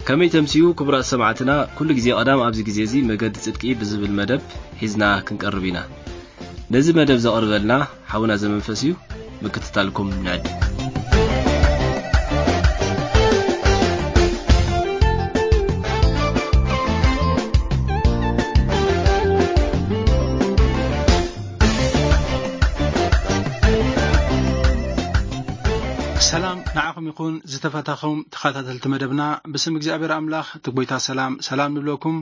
ከመይ ተምስዩ ክቡራት ሰማዕትና፣ ኩሉ ግዜ ቀዳም ኣብዚ ግዜ እዚ መገዲ ጽድቂ ብዝብል መደብ ሒዝና ክንቀርብ ኢና። ነዚ መደብ ዘቕርበልና ሓውና ዘመንፈስ እዩ። ምክትታልኩም ንዕድ። ሰላም ንዓኹም ይኹን ዝተፈታኹም ተኸታተልቲ መደብና፣ ብስም እግዚኣብሔር ኣምላኽ እቲ ጎይታ ሰላም ሰላም ንብለኩም።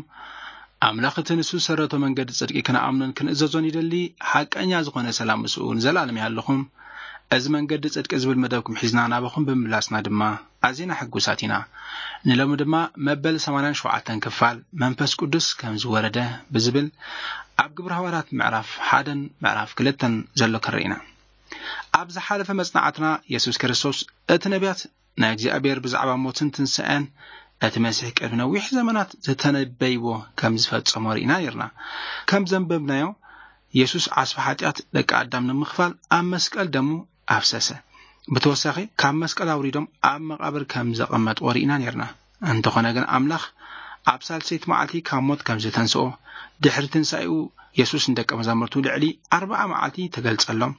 ኣምላኽ እቲ ንሱ ዝሰረቶ መንገዲ ጽድቂ ክንኣምኖን ክንእዘዞን ይደሊ። ሓቀኛ ዝኾነ ሰላም ምስኡ ንዘለኣለም ይሃልኹም። እዚ መንገዲ ጽድቂ ዝብል መደብኩም ሒዝና ናባኹም ብምምላስና ድማ ኣዚና ሕጉሳት ኢና። ንሎሚ ድማ መበል ሰማንያን ሸውዓተን ክፋል መንፈስ ቅዱስ ከም ዝወረደ ብዝብል ኣብ ግብረ ሃዋርያት ምዕራፍ ሓደን ምዕራፍ ክልተን ዘሎ ክንርኢ ኢና። ኣብ ዝሓለፈ መጽናዕትና የሱስ ክርስቶስ እቲ ነቢያት ናይ እግዚኣብሔር ብዛዕባ ሞትን ትንሳኤን እቲ መሲሕ ቅድሚ ነዊሕ ዘመናት ዝተነበይዎ ከም ዝፈጸሞ ርኢና ነርና። ከም ዘንበብናዮ የሱስ ዓስቢ ሓጢኣት ደቂ ኣዳም ንምኽፋል ኣብ መስቀል ደሙ ኣፍሰሰ። ብተወሳኺ ካብ መስቀል ኣውሪዶም ኣብ መቓብር ከም ዘቐመጥዎ ርኢና ነርና። እንተኾነ ግን ኣምላኽ ኣብ ሳልሰይቲ መዓልቲ ካብ ሞት ከም ዝተንስኦ፣ ድሕሪ ትንሳኤኡ የሱስ ንደቀ መዛሙርቱ ልዕሊ ኣርብዓ መዓልቲ ተገልጸሎም።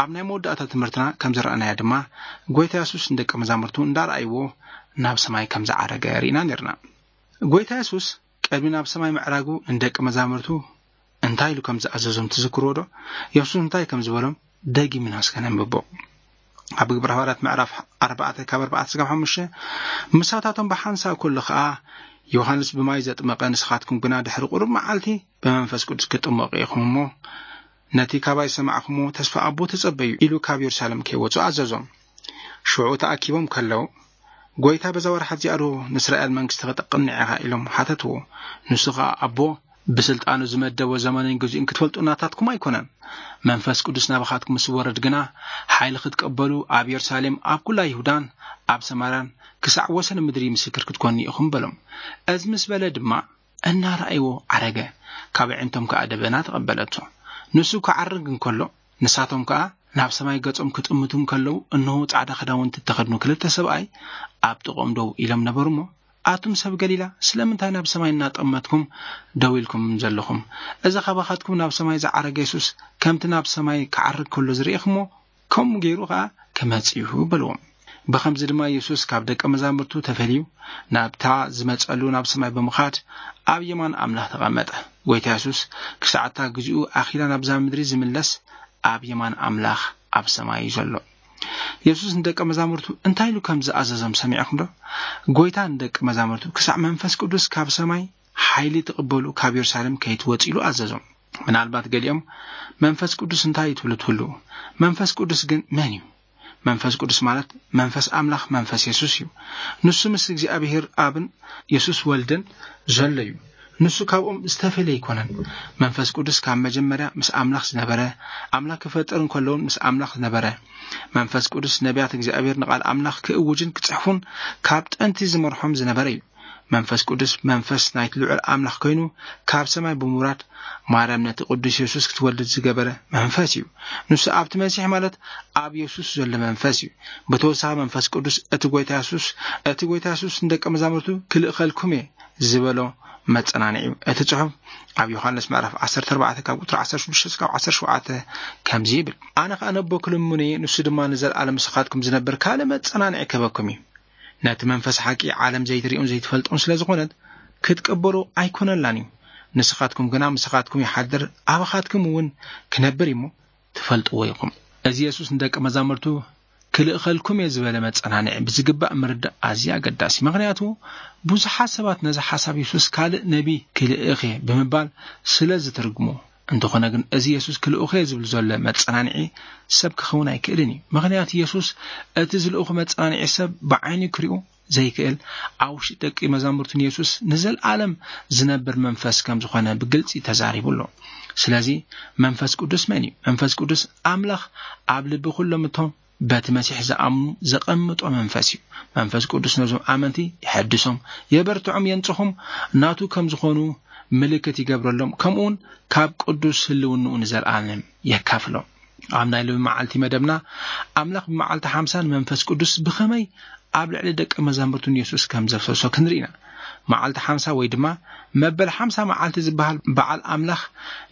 ኣብ ናይ መወዳእታ ትምህርትና ከም ዝረኣናዮ ድማ ጎይታ የሱስ ንደቀ መዛሙርቱ እንዳረኣይዎ ናብ ሰማይ ከም ዝዓረገ ርኢና ነርና። ጎይታ የሱስ ቅድሚ ናብ ሰማይ ምዕራጉ ንደቀ መዛሙርቱ እንታይ ኢሉ ከም ዝኣዘዞም ትዝክርዎ ዶ? የሱስ እንታይ ከም ዝበሎም ደጊምና እስከ ነንብቦ። ኣብ ግብረ ሃዋርያት ምዕራፍ ኣርባዕተ ካብ ኣርባዕተ ስጋብ ሓሙሽተ፣ ምሳታቶም ብሓንሳእ ከሎ ኸኣ ዮሃንስ ብማይ ዘጥመቐ፣ ንስኻትኩም ግና ድሕሪ ቁሩብ መዓልቲ ብመንፈስ ቅዱስ ክትጥመቑ ኢኹም እሞ ነቲ ካባይ ዝሰማዕኩምዎ ተስፋ ኣቦ ተጸበዩ ኢሉ ካብ የሩሳሌም ከይወጹ ኣዘዞም። ሽዑ ተኣኪቦም ከለዉ፣ ጎይታ በዛ ወርሓት እዚኣ ዶ ንእስራኤል መንግስቲ ከተቕንዕ ኢኻ ኢሎም ሓተትዎ። ንሱ ኸኣ ኣቦ ብስልጣኑ ዝመደቦ ዘመንን ግዜኡን ክትፈልጡ ናታትኩም ኣይኮነን። መንፈስ ቅዱስ ናባኻትኩም ምስ ወረድ ግና ሓይሊ ክትቀበሉ ኣብ የሩሳሌም ኣብ ኩላ ይሁዳን ኣብ ሰማርያን ክሳዕ ወሰን ምድሪ ምስክር ክትኮኑ ኢኹም በሎም። እዚ ምስ በለ ድማ እናረኣይዎ ዓረገ፣ ካብ ኣዒንቶም ከኣ ደበና ተቐበለቶ። ንሱ ክዓርግ እንከሎ ንሳቶም ከኣ ናብ ሰማይ ገጾም ክጥምቱ እንከለዉ እንሆ ጻዕዳ ክዳውንቲ እተኸድኑ ክልተ ሰብኣይ ኣብ ጥቕኦም ደው ኢሎም ነበሩ እሞ ኣቱም ሰብ ገሊላ ስለምንታይ ናብ ሰማይ እናጠመትኩም ደው ኢልኩም ዘለኹም? እዚ ካባኻትኩም ናብ ሰማይ ዝዓረገ የሱስ ከምቲ ናብ ሰማይ ክዓርግ ከሎ ዝርኢኽሞ ከምኡ ገይሩ ኸኣ ክመጽእ እዩ በልዎም። ብኸምዚ ድማ የሱስ ካብ ደቀ መዛሙርቱ ተፈልዩ ናብታ ዝመጸሉ ናብ ሰማይ ብምኻድ ኣብ የማን ኣምላኽ ተቐመጠ። ጎይታ የሱስ ክሳዕ እታ ግዜኡ ኣኺላ ናብዛ ምድሪ ዝምለስ ኣብ የማን ኣምላኽ ኣብ ሰማይ እዩ ዘሎ። የሱስ ንደቀ መዛሙርቱ እንታይ ኢሉ ከም ዝኣዘዞም ሰሚዕኹም ዶ? ጎይታ ንደቀ መዛሙርቱ ክሳዕ መንፈስ ቅዱስ ካብ ሰማይ ሓይሊ ትቕበሉ ካብ የሩሳሌም ከይትወጽ ኢሉ ኣዘዞም። ምናልባት ገሊኦም መንፈስ ቅዱስ እንታይ እዩ ትብሉ ትህልዉ? መንፈስ ቅዱስ ግን መን እዩ? መንፈስ ቅዱስ ማለት መንፈስ ኣምላኽ መንፈስ የሱስ እዩ። ንሱ ምስ እግዚኣብሔር ኣብን የሱስ ወልድን ዘሎ እዩ። ንሱ ካብኦም ዝተፈለየ ኣይኮነን። መንፈስ ቅዱስ ካብ መጀመርያ ምስ ኣምላኽ ዝነበረ፣ ኣምላኽ ክፈጥር እንከለውን ምስ ኣምላኽ ዝነበረ፣ መንፈስ ቅዱስ ነቢያት እግዚኣብሔር ንቓል ኣምላኽ ክእውጅን ክጽሕፉን ካብ ጥንቲ ዝመርሖም ዝነበረ እዩ። መንፈስ ቅዱስ መንፈስ ናይቲ ልዑል ኣምላኽ ኮይኑ ካብ ሰማይ ብምውራድ ማርያም ነቲ ቅዱስ የሱስ ክትወልድ ዝገበረ መንፈስ እዩ። ንሱ ኣብቲ መሲሕ ማለት ኣብ የሱስ ዘሎ መንፈስ እዩ። ብተወሳኺ መንፈስ ቅዱስ እቲ ጎይታ የሱስ እቲ ጎይታ የሱስ ንደቀ መዛሙርቱ ክልእኸልኩም እየ ዝበሎ መጸናንዒ እዩ። እቲ ጽሑፍ ኣብ ዮሃንስ ምዕራፍ ዓሰርተ ኣርባዕተ ካብ ቁጽሪ ዓሰርተ ሽዱሽተ እስካብ ዓሰርተ ሸውዓተ ከምዚ ይብል፣ ኣነ ኸኣ ነቦ ክልምኖ እየ፣ ንሱ ድማ ንዘለኣለም ምሳኻትኩም ዝነብር ካልእ መጸናንዒ ክህበኩም እዩ። ነቲ መንፈስ ሓቂ ዓለም ዘይትሪኦን ዘይትፈልጦን ስለ ዝኾነት ክትቅበሎ ኣይኮነላን እዩ። ንስኻትኩም ግና ምሳኻትኩም ይሓድር፣ ኣባኻትኩም እውን ክነብር እዩ እሞ ትፈልጥዎ ኢኹም። እዚ የሱስ ንደቂ መዛሙርቱ ክልእኸልኩም እየ ዝበለ መጸናንዒ ብዝግባእ ምርዳእ ኣዝዩ ኣገዳሲ። ምኽንያቱ ብዙሓት ሰባት ነዚ ሓሳብ የሱስ ካልእ ነቢ ክልእኽ እየ ብምባል ስለ ዝትርግሞ። እንተኾነ ግን እዚ የሱስ ክልእኹ እየ ዝብል ዘሎ መጸናንዒ ሰብ ክኸውን ኣይክእልን እዩ። ምኽንያቱ የሱስ እቲ ዝልእኹ መጸናንዒ ሰብ ብዓይኑ ክሪኦ ዘይክእል፣ ኣብ ውሽጢ ደቂ መዛሙርቱ ንየሱስ ንዘለኣለም ዝነብር መንፈስ ከም ዝኾነ ብግልጺ ተዛሪቡ ኣሎ። ስለዚ መንፈስ ቅዱስ መን እዩ? መንፈስ ቅዱስ ኣምላኽ ኣብ ልቢ ኩሎም እቶም በቲ መሲሕ ዝኣምኑ ዘቐምጦ መንፈስ እዩ። መንፈስ ቅዱስ ነዞም ኣመንቲ የሐድሶም፣ የበርትዖም፣ የንጽሆም፣ ናቱ ከም ዝኾኑ ምልክት ይገብረሎም፣ ከምኡውን ካብ ቅዱስ ህልውንኡ ንዘለኣለም የካፍሎም። ኣብ ናይ ሎሚ መዓልቲ መደብና ኣምላኽ ብመዓልቲ ሓምሳ ንመንፈስ ቅዱስ ብኸመይ ኣብ ልዕሊ ደቂ መዛሙርቱ ንየሱስ ከም ዘፍሰሶ ክንርኢ ኢና። መዓልቲ ሓምሳ ወይ ድማ መበል ሓምሳ መዓልቲ ዝበሃል በዓል ኣምላኽ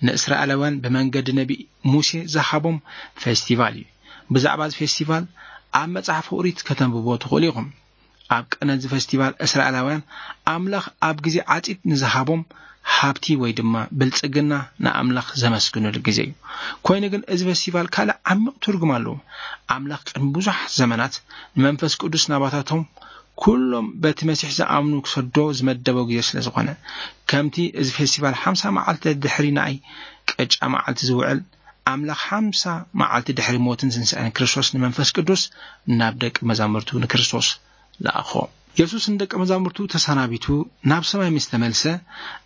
ንእስራኤላውያን ብመንገዲ ነቢ ሙሴ ዝሃቦም ፌስቲቫል እዩ። ብዛዕባ እዚ ፌስቲቫል ኣብ መጽሓፍ ኦሪት ከተንብቦ ትኽእሉ ኢኹም። ኣብ ቀነዚ ፌስቲቫል እስራኤላውያን ኣምላኽ ኣብ ግዜ ዓጺድ ንዝሃቦም ሃብቲ ወይ ድማ ብልጽግና ንኣምላኽ ዘመስግኑሉ ግዜ እዩ። ኮይኑ ግን እዚ ፌስቲቫል ካልእ ዓሚቕ ትርጉም ኣለዎ። ኣምላኽ ቅድሚ ብዙሕ ዘመናት ንመንፈስ ቅዱስ ናባታቶም ኩሎም በቲ መሲሕ ዝኣምኑ ክሰዶ ዝመደበው ግዜ ስለ ዝኾነ፣ ከምቲ እዚ ፌስቲቫል ሓምሳ መዓልቲ ድሕሪ ናይ ቅጫ መዓልቲ ዝውዕል፣ ኣምላኽ ሓምሳ መዓልቲ ድሕሪ ሞትን ትንሳኤን ክርስቶስ ንመንፈስ ቅዱስ ናብ ደቂ መዛሙርቱ ንክርስቶስ ለኣኾ። የሱስ ንደቂ መዛሙርቱ ተሰናቢቱ ናብ ሰማይ ምስ ተመልሰ፣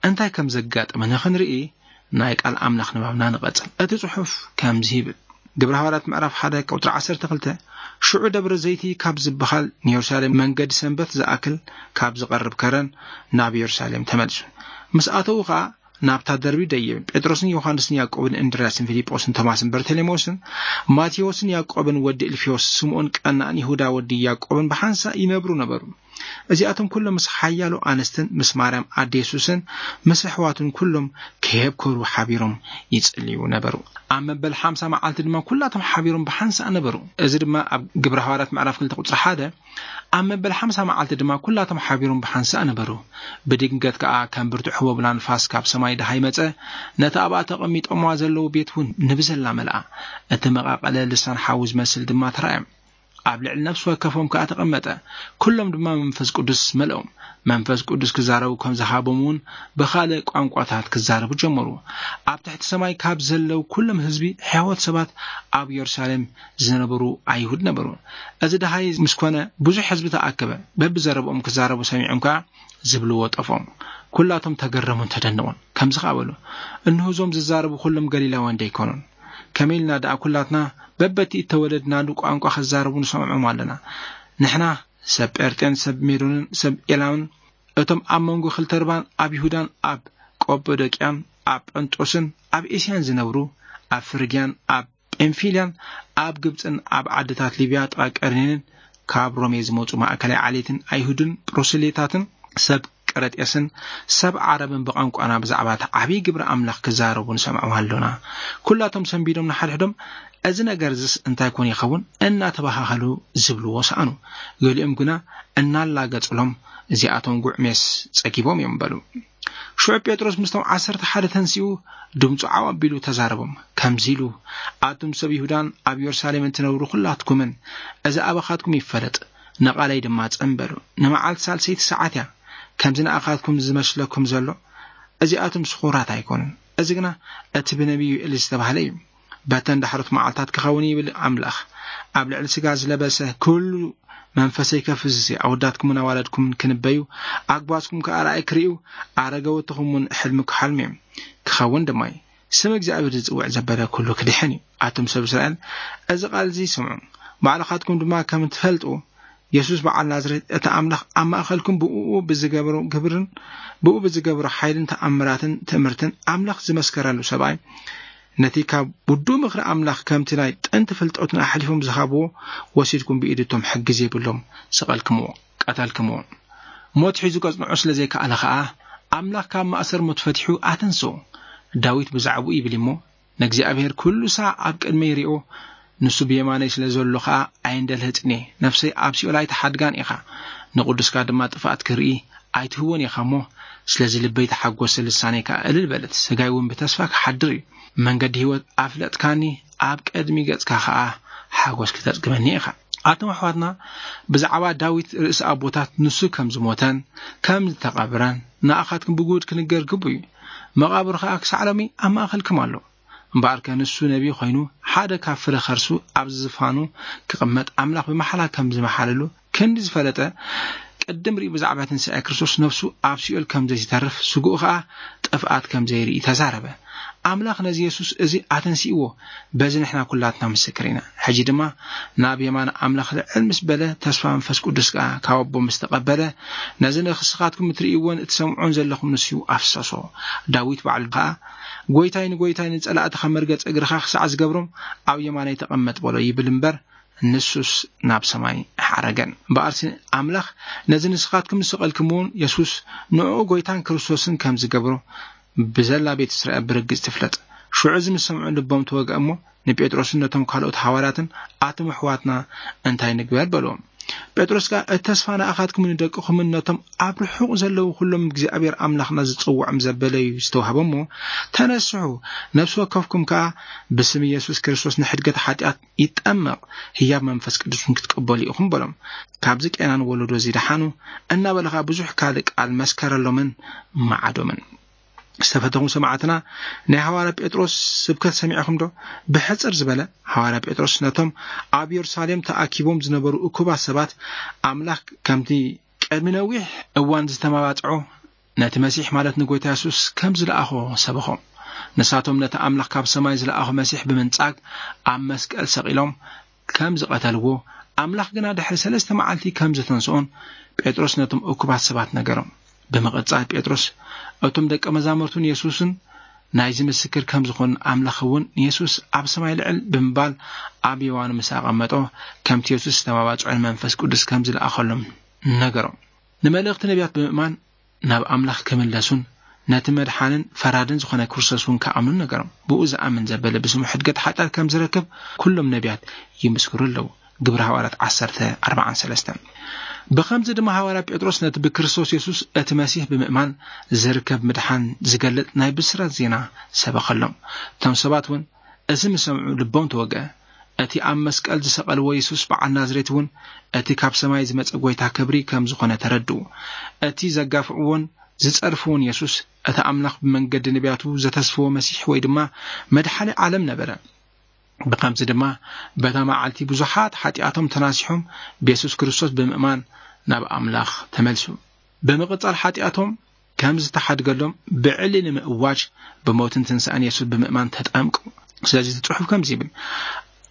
እንታይ ከም ዘጋጠመ ንኽንርኢ ናይ ቃል ኣምላኽ ንባብና ንቐጽል። እቲ ጽሑፍ ከምዚ ይብል፣ ግብረ ሃዋርያት ምዕራፍ ሓደ ቁጽሪ ዓሰርተ ክልተ፣ ሽዑ ደብረ ዘይቲ ካብ ዝበሃል ንየሩሳሌም መንገዲ ሰንበት ዝኣክል ካብ ዝቐርብ ከረን ናብ የሩሳሌም ተመልሱ። ምስ ኣተዉ ኸኣ ናብታ ደርቢ ደይብ፣ ጴጥሮስን ዮሃንስን ያዕቆብን እንድርያስን ፊልጶስን ቶማስን በርተሌሜዎስን ማቴዎስን ያዕቆብን ወዲ እልፊዮስ ስምኦን ቀናእን ይሁዳ ወዲ ያዕቆብን ብሓንሳእ ይነብሩ ነበሩ። እዚኣቶም ኩሎም ምስ ሓያሎ ኣንስትን ምስ ማርያም ኣደ የሱስን ምስ ኣሕዋቱን ኩሎም ከየብከሩ ሓቢሮም ይጽልዩ ነበሩ። ኣብ መበል ሓምሳ መዓልቲ ድማ ኩላቶም ሓቢሮም ብሓንሳእ ነበሩ። እዚ ድማ ኣብ ግብረ ሃዋርያት ምዕራፍ ክልተ ቁጽሪ ሓደ፣ ኣብ መበል ሓምሳ መዓልቲ ድማ ኩላቶም ሓቢሮም ብሓንሳእ ነበሩ። ብድንገት ከኣ ከም ብርቱዕ ህቦብላ ንፋስ ካብ ሰማይ ደሃይ መጸ፣ ነቲ ኣብኣ ተቐሚጦምዋ ዘለዉ ቤት እውን ንብዘላ መልኣ። እቲ መቓቐለ ልሳን ሓዊ ዝመስል ድማ ተራእዮም። ኣብ ልዕሊ ነፍሲ ወከፎም ከኣ ተቐመጠ። ኩሎም ድማ መንፈስ ቅዱስ መልኦም። መንፈስ ቅዱስ ክዛረቡ ከም ዝሃቦም እውን ብኻልእ ቋንቋታት ክዛረቡ ጀመሩ። ኣብ ትሕቲ ሰማይ ካብ ዘለዉ ኩሎም ህዝቢ ሕያወት ሰባት ኣብ የሩሳሌም ዝነበሩ ኣይሁድ ነበሩ። እዚ ደሃይ ምስ ኮነ ብዙሕ ህዝቢ ተኣከበ። በብዘረብኦም ክዛረቡ ሰሚዖም ከኣ ዝብልዎ ጠፍኦም። ኩላቶም ተገረሙን ተደነቑን። ከምዚ ከኣ በሉ፣ እንሆ እዞም ዝዛረቡ ኩሎም ገሊላውያን ደይኮኑን? ከመይ ኢልና ደኣ ኩላትና በበቲ እተወለድናሉ ቋንቋ ክዛረቡ ንሰምዖም ኣለና? ንሕና ሰብ ጴርጤን ሰብ ሜዶንን ሰብ ኤላምን፣ እቶም ኣብ መንጎ ክልተ ርባን ኣብ ይሁዳን ኣብ ቆጶዶቅያን ኣብ ጳንጦስን ኣብ ኤስያን ዝነብሩ፣ ኣብ ፍርግያን ኣብ ጳምፊልያን ኣብ ግብጽን ኣብ ዓድታት ሊብያ ጥቓ ቀርኔንን ካብ ሮሜ ዝመጹ ማእከላይ ዓሌትን ኣይሁድን ፕሮሰሌታትን ሰብ ቀረጤስን ሰብ ዓረብን ብቋንቋና ብዛዕባ እቲ ዓብዪ ግብሪ ኣምላኽ ክዛረቡ ንሰምዖም ኣሎና። ኩላቶም ሰንቢዶም ንሓድሕዶም፣ "እዚ ነገር እዚስ እንታይ ኮን ይኸውን?" እናተባሃሃሉ ዝብልዎ ሰኣኑ። ገሊኦም ግና እናላገጹሎም፣ "እዚኣቶም ጉዕ ሜስ ጸጊቦም እዮም" በሉ። ሽዑ ጴጥሮስ ምስቶም ዓሰርተ ሓደ ተንሲኡ፣ ድምፁ ዓው ኣቢሉ ተዛረቦም፣ ከምዚ ኢሉ፣ "ኣቱም ሰብ ይሁዳን ኣብ የሩሳሌም እትነብሩ ኩላትኩምን፣ እዚ ኣባኻትኩም ይፈለጥ፣ ንቓለይ ድማ ጽን በሉ። ንመዓልቲ ሳልሰይቲ ሰዓት እያ፣ ከምዚ ንኣኻትኩም ዝመስለኩም ዘሎ። እዚኣቶም ስኹራት ኣይኮኑን፣ እዚ ግና እቲ ብነቢይ ዮኤል ዝተባህለ እዩ። በተን ዳሕሮት መዓልታት ክኸውን ይብል ኣምላኽ፣ ኣብ ልዕሊ ስጋ ዝለበሰ ኩሉ መንፈሰይ ከፍስስ እየ። ኣወዳትኩምን ኣዋልድኩምን ክንበዩ፣ ኣግባዝኩም ከኣ ራእይ ክርእዩ፣ ኣረገወትኹም እውን ሕልሚ ክሓልሙ እዮም። ክኸውን ድማ እዩ። ስም እግዚኣብሔር ዝጽውዕ ዘበለ ኩሉ ክድሕን እዩ። ኣቱም ሰብ እስራኤል፣ እዚ ቃል እዚ ስምዑ። ባዕልኻትኩም ድማ ከም እትፈልጡ፣ የሱስ በዓል ናዝሬት፣ እቲ ኣምላኽ ኣብ ማእከልኩም ብእኡ ብዝገበሮ ግብርን ብእኡ ብዝገበሮ ሓይልን ተኣምራትን ትእምርትን ኣምላኽ ዝመስከረሉ ሰብኣይ፣ ነቲ ካብ ውዱእ ምኽሪ ኣምላኽ ከምቲ ናይ ጥንቲ ፍልጠቱን ኣሕሊፎም ዝሃብዎ ወሲድኩም ብኢድቶም ሕጊ ዘይብሎም ሰቐልክምዎ፣ ቀተልክምዎ። ሞት ሒዙ ከጽንዖ ስለ ዘይከኣለ ኸኣ፣ ኣምላኽ ካብ ማእሰር ሞት ፈቲሑ ኣተንስኦ። ዳዊት ብዛዕባኡ ይብል እሞ፣ "ንእግዚኣብሔር ኩሉ ሳዕ ኣብ ቅድመይ ይሪኦ፣ ንሱ ብየማነይ ስለ ዘሎ ኸኣ ኣይንደልህጽን እየ። ነፍሰይ ኣብ ሲኦል ኣይትሓድጋን ኢኻ፣ ንቕዱስካ ድማ ጥፍኣት ክርኢ ኣይትህቦን ኢኻ እሞ፣ ስለዚ ልበይ ተሓጎሰ፣ ልሳነይ ከኣ እልል በለት። ስጋይ እውን ብተስፋ ክሓድር እዩ። መንገዲ ህይወት ኣፍለጥካኒ፣ ኣብ ቅድሚ ገጽካ ኸኣ ሓጎስ ክተጽግበኒ ኢኻ።" ኣቶም ኣሕዋትና፣ ብዛዕባ ዳዊት ርእሲ ኣቦታት ንሱ ከም ዝሞተን ከም ዝተቐብረን ንኣኻትኩም ብግሁድ ክንገር ግቡ እዩ። መቓብሩ ኸኣ ክሳዕ ሎሚ ኣብ ማእከልኩም ኣሎ። እምበኣርከ ንሱ ነቢይ ኮይኑ ሓደ ካብ ፍረ ከርሱ ኣብ ዝፋኑ ክቕመጥ ኣምላኽ ብመሓላ ከም ዝመሓለሉ ክንዲ ዝፈለጠ፣ ቅድም ሪኡ ብዛዕባ ትንሳኤ ክርስቶስ ነፍሱ ኣብ ሲኦል ከም ዘይትተርፍ፣ ስግኡ ኸኣ ጥፍኣት ከም ዘይርኢ ተዛረበ። ኣምላኽ ነዚ የሱስ እዚ ኣተንሲእዎ፣ በዚ ንሕና ኩላትና ምስክር ኢና። ሕጂ ድማ ናብ የማን ኣምላኽ ልዕል ምስ በለ፣ ተስፋ መንፈስ ቅዱስ ከኣ ካብ ኣቦ ምስ ተቐበለ፣ ነዚ ንስኻትኩም እትርእይዎን እትሰምዖን ዘለኹም ንሱ ኣፍሰሶ። ዳዊት ባዕሉ ከኣ፣ "ጐይታይ ንጐይታይ ንጸላእትኻ መርገጺ እግርኻ ክሳዕ ዝገብሮም ኣብ የማነይ ተቐመጥ በሎ" ይብል እምበር፣ ንሱስ ናብ ሰማይ ሓረገን። እምበኣርሲ ኣምላኽ ነዚ ንስኻትኩም ዝሰቐልክምዎን የሱስ ንዕኡ ጐይታን ክርስቶስን ከም ዝገብሮ ብዘላ ቤት እስራኤል ብርግጽ ትፍለጥ። ሽዑ እዚ ምስ ሰምዑ ልቦም ተወግአ እሞ ንጴጥሮስን ነቶም ካልኦት ሃዋርያትን ኣቱም ኣሕዋትና እንታይ ንግበር በልዎም። ጴጥሮስ ከኣ እቲ ተስፋ ንኣኻትኩምን ንደቅኹምን ነቶም ኣብ ርሑቕ ዘለዉ ኩሎም እግዚኣብሔር ኣምላኽና ዝጽውዖም ዘበለ እዩ ዝተዋህቦ እሞ ተነስሑ፣ ነፍሲ ወከፍኩም ከኣ ብስም ኢየሱስ ክርስቶስ ንሕድገት ሓጢኣት ይጠመቕ፣ ህያብ መንፈስ ቅዱስን ክትቀበሉ ኢኹም በሎም። ካብዚ ቄናን ወለዶ እዚ ደሓኑ እናበለ ኸኣ ብዙሕ ካልእ ቃል መስከረሎምን መዓዶምን። ዝተፈተኹም ሰማዕትና ናይ ሃዋርያ ጴጥሮስ ስብከት ሰሚዕኹም ዶ? ብሕጽር ዝበለ ሃዋርያ ጴጥሮስ ነቶም ኣብ የሩሳሌም ተኣኪቦም ዝነበሩ እኩባት ሰባት ኣምላኽ ከምቲ ቅድሚ ነዊሕ እዋን ዝተመባጽዖ ነቲ መሲሕ ማለት ንጎይታ የሱስ ከም ዝለኣኾ ሰበኾም። ንሳቶም ነቲ ኣምላኽ ካብ ሰማይ ዝለኣኾ መሲሕ ብምንጻግ ኣብ መስቀል ሰቒሎም ከም ዝቐተልዎ፣ ኣምላኽ ግና ድሕሪ ሰለስተ መዓልቲ ከም ዘተንስኦን ጴጥሮስ ነቶም እኩባት ሰባት ነገሮም። ብምቕጻል ጴጥሮስ እቶም ደቀ መዛሙርቱን የሱስን ናይዚ ምስክር ከም ዝኾኑን ኣምላኽ እውን ንየሱስ ኣብ ሰማይ ልዕል ብምባል ኣብ የዋኑ ምስ ኣቐመጦ ከምቲ የሱስ ዝተመባጽዖ ንመንፈስ ቅዱስ ከም ዝለኣኸሎም ነገሮም። ንመልእኽቲ ነቢያት ብምእማን ናብ ኣምላኽ ክምለሱን ነቲ መድሓንን ፈራድን ዝኾነ ክርስቶስ እውን ክኣምኑን ነገሮም። ብኡ ዝኣምን ዘበለ ብስሙ ሕድገት ሓጢኣት ከም ዝረክብ ኩሎም ነቢያት ይምስክሩ ኣለዉ። ግብሪ ሃዋርያት ዓሰርተ ኣርባዓን ሰለስተን። ብኸምዚ ድማ ሃዋርያ ጴጥሮስ ነቲ ብክርስቶስ የሱስ እቲ መሲሕ ብምእማን ዝርከብ ምድሓን ዝገልጥ ናይ ብስራት ዜና ሰበኸሎም። እቶም ሰባት እውን እዚ ምስ ሰምዑ ልቦም ተወግአ። እቲ ኣብ መስቀል ዝሰቐልዎ የሱስ በዓል ናዝሬት እውን እቲ ካብ ሰማይ ዝመጸ ጐይታ ክብሪ ከም ዝኾነ ተረድኡ። እቲ ዘጋፍዕዎን ዝጸርፍዎን የሱስ እቲ ኣምላኽ ብመንገዲ ነቢያቱ ዘተስፍዎ መሲሕ ወይ ድማ መድሓኒ ዓለም ነበረ። ብኸምዚ ድማ በታ መዓልቲ ብዙሓት ሓጢኣቶም ተናሲሖም ብየሱስ ክርስቶስ ብምእማን ናብ ኣምላኽ ተመልሱ። ብምቕጻል ሓጢኣቶም ከም ዝተሓድገሎም ብዕሊ ንምእዋጅ ብሞትን ትንሳኤን የሱስ ብምእማን ተጠምቁ። ስለዚ እቲ ጽሑፍ ከምዚ ይብል፣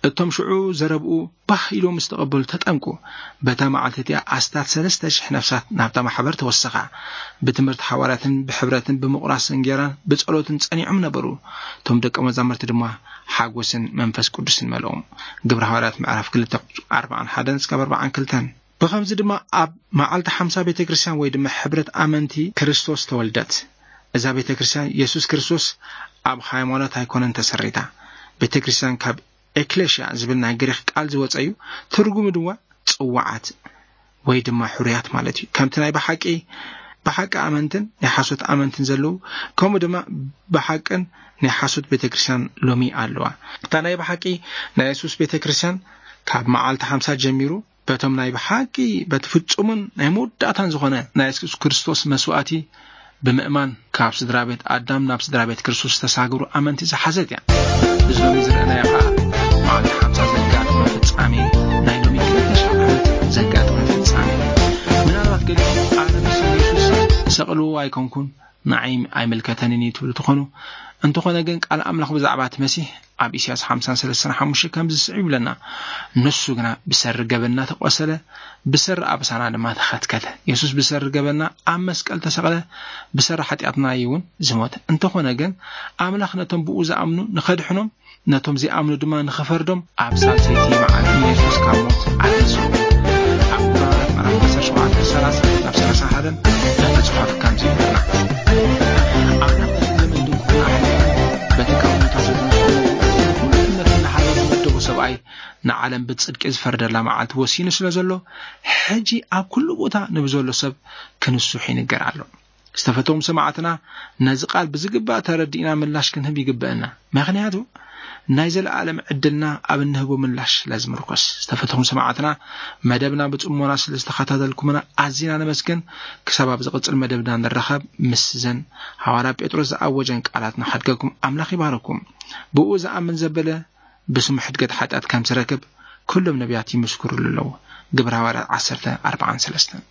እቶም ሽዑ ዘረብኡ ባህ ኢሎም ምስ ተቐበሉ ተጠምቁ። በታ መዓልቲ እቲኣ ኣስታት ሰለስተ ሽሕ ነፍሳት ናብታ ማሕበር ተወሰኻ። ብትምህርቲ ሓዋርያትን ብሕብረትን ብምቑራስ እንጌራን ብጸሎትን ጸኒዖም ነበሩ። እቶም ደቀ መዛሙርቲ ድማ ሓጎስን መንፈስ ቅዱስን መልኦም። ግብረ ሃዋርያት ምዕራፍ ክልተ ኣርባዓን ሓደን እስካብ ኣርባዓን ክልተን። ብኸምዚ ድማ ኣብ መዓልቲ ሓምሳ ቤተ ክርስቲያን ወይ ድማ ሕብረት ኣመንቲ ክርስቶስ ተወልደት። እዛ ቤተ ክርስቲያን የሱስ ክርስቶስ ኣብ ሃይማኖት ኣይኮነን ተሰሪታ። ቤተ ክርስቲያን ካብ ኤክሌሽያ ዝብል ናይ ግሪኽ ቃል ዝወጸ እዩ። ትርጉሙ ድማ ጽዋዓት ወይ ድማ ሕሩያት ማለት እዩ። ከምቲ ናይ ብሓቂ፣ ብሓቂ ኣመንትን ናይ ሓሶት ኣመንትን ዘለዉ፣ ከምኡ ድማ ብሓቅን ናይ ሓሶት ቤተ ክርስቲያን ሎሚ ኣለዋ። እታ ናይ ብሓቂ ናይ የሱስ ቤተ ክርስቲያን ካብ መዓልቲ ሓምሳ ጀሚሩ በቶም ናይ ብሓቂ በቲ ፍጹምን ናይ መወዳእታን ዝኾነ ናይ የሱስ ክርስቶስ መስዋእቲ ብምእማን ካብ ስድራ ቤት ኣዳም ናብ ስድራ ቤት ክርስቶስ ዝተሳገሩ ኣመንቲ ዝሓዘት እያ። እዚ ሎሚ ዝረኣናዮ ኸኣ መዓልቲ ሓምሳ ዘጋጠመ ፍጻሜ፣ ናይ ሎሚ ክልተ ሽሕ ዓመት ዘጋጠመ ፍጻሜ። ምናልባት ገሊኹም ኣነ ምስ የሱስ እሰቕልዎ ኣይኮንኩን፣ ንዓይ ኣይምልከተንን እዩ ትብሉ ትኾኑ። እንተኾነ ግን ቃል ኣምላኽ ብዛዕባ እቲ መሲሕ ኣብ ኢሳያስ ሓምሳን ሰለስተን ሓሙሽተ ከምዚ ዝስዕብ ይብለና፣ ንሱ ግና ብሰሪ ገበንና ተቖሰለ፣ ብሰሪ ኣበሳና ድማ ተኸትከተ። የሱስ ብሰሪ ገበንና ኣብ መስቀል ተሰቕለ፣ ብሰሪ ሓጢኣትና እዩ እውን ዝሞተ። እንተኾነ ግን ኣምላኽ ነቶም ብኡ ዝኣምኑ ንኸድሕኖም፣ ነቶም ዘይኣምኑ ድማ ንኽፈርዶም ኣብ ሳልሰይቲ መዓልቲ ንየሱስ ካብ ሞት ኣትንስኡ። ኣብ ዕብራውያን ምዕራፍ ዓሰርተ ሸውዓተ ሰላሳ ናብ ሰላሳ ሓደን እቲ ጽሑፍ ከምዚ ይብለና፣ ኣምላኽ ነቲ ዘመን ድንቁርና ኣሕሊፉ በቲ ካብ ሙታን ዘተንስኦ ኩሉ እምነት እናሃለወ ዝመደቦ ሰብኣይ ንዓለም ብጽድቂ ዝፈርደላ መዓልቲ ወሲኑ ስለ ዘሎ፣ ሕጂ ኣብ ኩሉ ቦታ ንብዘሎ ሰብ ክንስሑ ይንገር ኣሎ። ዝተፈተዎም ሰማዕትና፣ ነዚ ቃል ብዝግባእ ተረዲእና ምላሽ ክንህብ ይግበአና። ምኽንያቱ፣ ናይ ዘለኣለም ዕድልና ኣብ እንህቦ ምላሽ ስለ ዝምርኮስ። ዝተፈተኹም ሰማዕትና፣ መደብና ብጽሞና ስለ ዝተኸታተልኩምና ኣዚና ነመስግን። ክሳብ ኣብ ዝቕጽል መደብና ንራኸብ፣ ምስዘን ሃዋርያ ጴጥሮስ ዝኣወጀን ቃላት ንኸድገኩም ኣምላኽ ይባርኩም። ብኡ ዝኣምን ዘበለ ብስሙ ሕድገት ሓጢኣት ከም ዝረክብ ኩሎም ነቢያት ይምስክሩሉ ኣለዉ። ግብረ ሃዋርያት ዓሰርተ ኣርባዓን ሰለስተን።